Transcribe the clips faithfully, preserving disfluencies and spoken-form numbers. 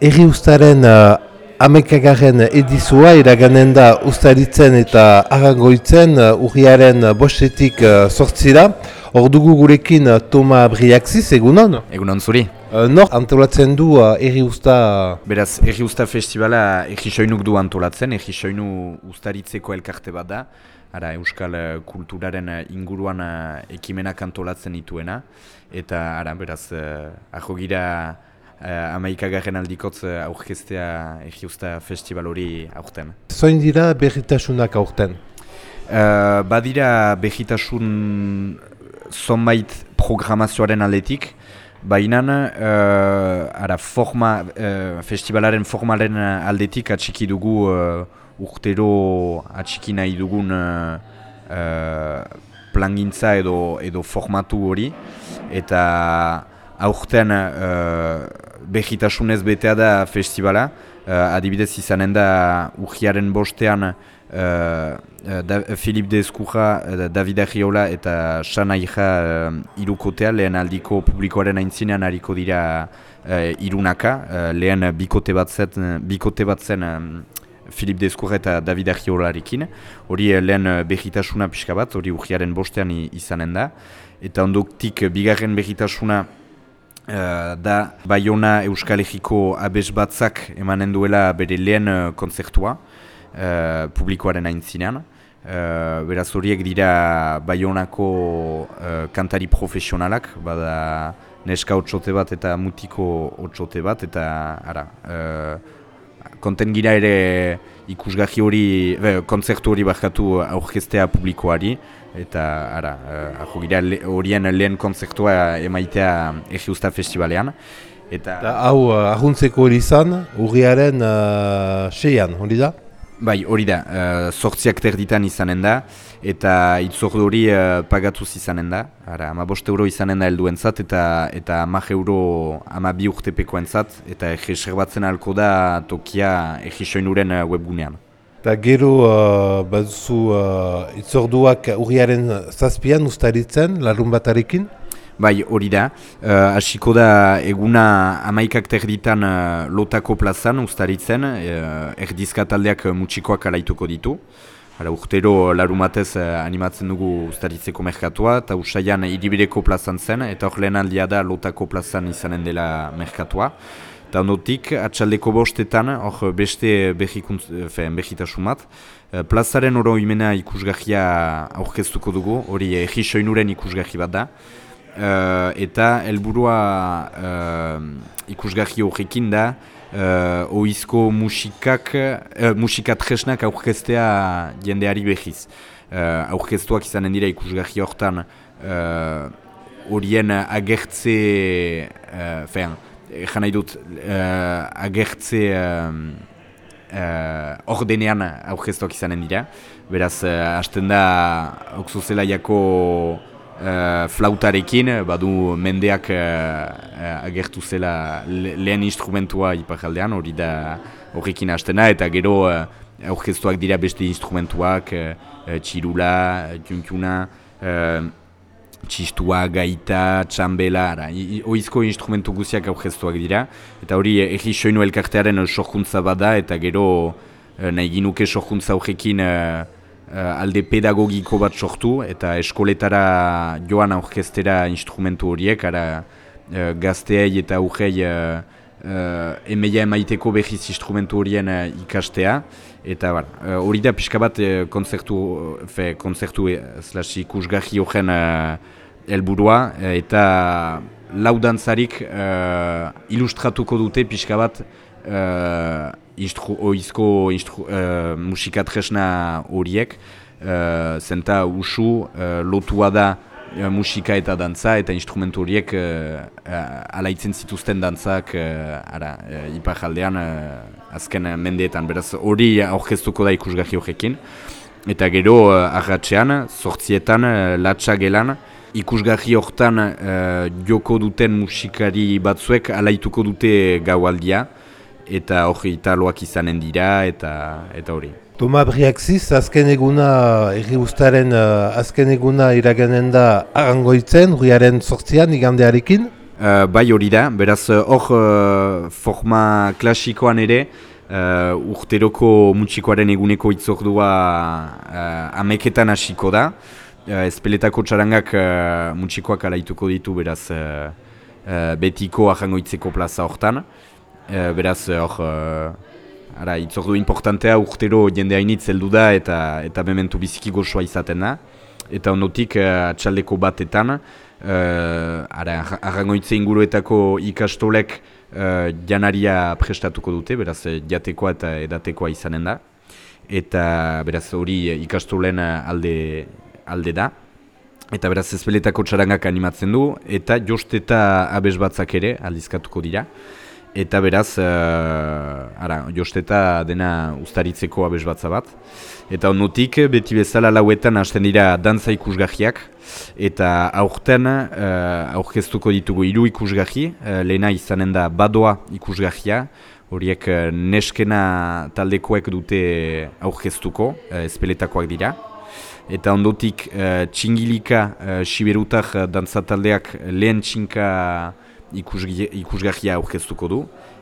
Erri ustaren uh, amekagarren edizua iraganen da ustaritzen eta arangoitzen uh, urriaren bostetik uh, sortzira. Hor dugu gurekin uh, Toma Briaxiz, egunon? Egunon zuri. Uh, nor antolatzen du uh, Erri usta? Beraz, Erri usta festivala Erri soinuk du antolatzen, Erri soinu ustaritzeko elkarte bat da. Ara, euskal kulturaren inguruan uh, ekimenak antolatzen dituena. Eta, ara, beraz, uh, ahogira Uh, amaikagarren aldikotz uh, aurkeztea Erri usta festival hori aurten. Zoin dira berritasunak aurten? Uh, badira berritasun zonbait programazioaren aldetik, baina uh, ara, forma, uh, festivalaren formalen aldetik atxiki dugu uh, urtero atxiki nahi dugun uh, uh, plangintza edo, edo formatu hori, eta aurten uh, behitasunez betea da festivala, uh, adibidez izanen da urriaren bostean uh, da, Filip de Ezkurra, uh, David Arriola eta San Aija uh, irukotea, lehen aldiko publikoaren aintzinean hariko dira uh, irunaka, uh, lehen bikote bat zen, bikote bat zen um, Filip de Ezkurra eta David Arriolarekin, hori uh, lehen behitasuna pixka bat, hori urriaren bostean izanen da, eta ondoktik bigarren behitasuna Uh, da Baiona Euskal Herriko abes batzak emanen duela bere lehen uh, kontzertua uh, publikoaren aintzinean. Uh, beraz horiek dira Baionako uh, kantari profesionalak, bada neska otsote bat eta mutiko otsote bat, eta ara, uh, konten gira ere ikusgarri hori, be, kontzertu hori barkatu aurkeztea publikoari, eta ara, uh, gira horien le, lehen kontzertua emaitea Erri usta festivalean. Eta da, hau uh, ahuntzeko hori izan, urriaren uh, seian, hori da? Bai, hori da, uh, sortziak terditan izanen da, eta itzordu hori uh, pagatuz izanen da. Ara, ama bost euro izanen da helduentzat, eta eta hamak euro ama bi urtepekoentzat, eta erreserbatzen ahalko da tokia Erri soinuren uh, webgunean. Eta gero uh, baduzu uh, itzorduak urriaren zazpian ustaritzen, larun batarekin? Bai, hori da. Uh, hasiko da eguna hamaikak terditan uh, Lotako plazan ustaritzen, uh, erdizka taldeak mutxikoak alaituko ditu. Hala, urtero larumatez uh, animatzen dugu ustaritzeko merkatua, eta usaian Hiribireko plazan zen, eta hor lehen aldia da Lotako plazan izanen dela merkatua. Eta ondotik, atxaldeko bostetan, hor beste behitasun bat, plazaren oroimena ikusgarria aurkeztuko dugu, hori Erri soinuren ikusgarri bat da. Uh, eta helburua uh, ikusgarri horrekin da, uh, oizko musikak, uh, musikat jesnak aurkeztea jendeari behiz. Uh, aurkeztuak izanen dira ikusgarri hortan horien uh, agertze, uh, fean, Egan nahi dut, uh, agertze uh, uh, ordenean aurkeztuak izanen dira. Beraz, uh, hasten da Oxozelaiako uh, flautarekin, badu mendeak uh, agertu zela le lehen instrumentua iparaldean, hori da horrekin hasten da, eta gero uh, aurkeztuak dira beste instrumentuak, uh, txirula, txuntxuna, uh, txistua, gaita, txambela, oizko instrumentu guziak aurkeztuak dira. Eta hori Erri soinu elkartearen sorkuntza bada, eta gero nahi ginuke sorkuntza horrekin uh, alde pedagogiko bat sortu, eta eskoletara joan aurkeztera instrumentu horiek, ara uh, gazteei eta aurrei uh, uh, emeia emaiteko behiz instrumentu horien uh, ikastea. Eta hori uh, da pixka bat uh, konzertu, fe, konzertu slash ikusgarri horren uh, helburua, eta laudantzarik uh, ilustratuko dute pixka bat uh, instru, oizko instru, uh, musikatresna horiek, uh, zenta usu uh, lotua da uh, musika eta dantza, eta instrumentu horiek uh, uh, alaitzen zituzten dantzak uh, ara, uh, iparaldean uh, azken mendeetan. Beraz hori aurkeztuko da ikusgarri horrekin. Eta gero uh, arratsean, zortzietan, uh, latxa gelan, ikusgarri hortan uh, joko duten musikari batzuek alaituko dute gaualdia, eta hori italoak izanen dira, eta eta hori. Toma Briaxiz, azken eguna, Erri ustaren uh, azken eguna iraganen da arangoitzen, urriaren zortzian, igandearekin? Uh, bai hori da, beraz hor uh, forma klasikoan ere uh, urteroko mutxikoaren eguneko itzordua uh, ameketan hasiko da. Uh, Ezpeletako txarangak uh, mutxikoak alaituko ditu beraz uh, uh, betiko ahangoitzeko plaza hortan. Uh, beraz hor uh, ara, itzordu importantea urtero jende hainitz heldu da eta, eta mementu biziki gozoa izaten da. Eta ondotik uh, atxaldeko batetan, Uh, arrangoitze inguruetako ikastolek uh, janaria prestatuko dute, beraz jatekoa eta edatekoa izanen da. Eta beraz hori ikastolen alde, alde da. Eta beraz ezpeletako txarangak animatzen du, eta josteta abes batzak ere aldizkatuko dira. Eta beraz, uh, ara, josteta dena ustaritzeko abes batza bat. Eta ondotik, beti bezala lauetan hasten dira dantza ikusgahiak. Eta aurten uh, aurkeztuko ditugu hiru ikusgahi. Uh, lehena izanen da badoa ikusgahia. Horiek uh, neskena taldekoek dute aurkeztuko, uh, ezpeletakoak dira. Eta ondotik uh, txingilika uh, siberutak uh, dantza taldeak lehen txinka ikusgahia aurkeztuko du.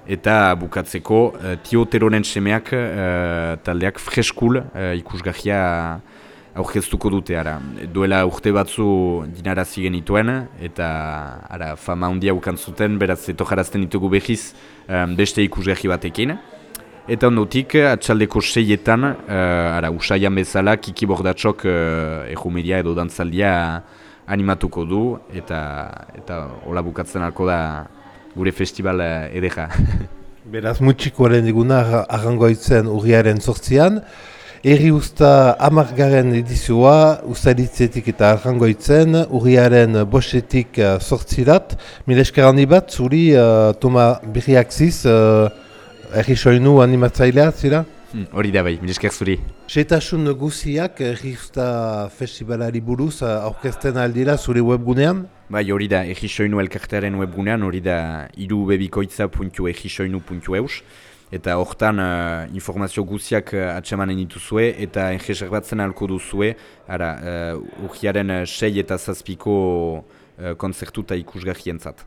Eta bukatzeko uh, Tio Teronen semeak uh, taldeak freskul uh, ikusgahia aurkeztuko dute. Ara. Duela urte batzu dinarazi genituen eta ara, fama handia ukantzuten, beraz etojarazten ditugu behiz um, beste ikusgahi batekin. Eta ondotik, atxaldeko seietan, uh, ara, usaian bezala, Kiki Bordatxok uh, ejumeria edo dantzaldia animatuko du, eta eta hola bukatzen alko da gure festival uh, edera. Beraz, mutxikoaren diguna arrangoitzen urriaren sortzian. Erri usta hamargarren edizioa, ustaritzetik eta arrangoitzen, urriaren bostetik uh, sortzirat. Mil esker handi bat, zuri, uh, Toma Birriaxiz, uh, erri soinu animatzailea, zira? Hori da bai, mil esker zuri. Setasun guziak erri usta festivalari buruz uh, aurkezten aldira zure webgunean? Bai, hori da, egisoinu elkartearen webgunean, hori da irubebikoitza puntu egisoinu puntu eus. Eta hortan uh, informazio guziak uh, atsemanen dituzue eta enreserbatzen ahalko duzue, ara, uh, urriaren sei eta zazpiko uh, konzertu eta ikusgahientzat.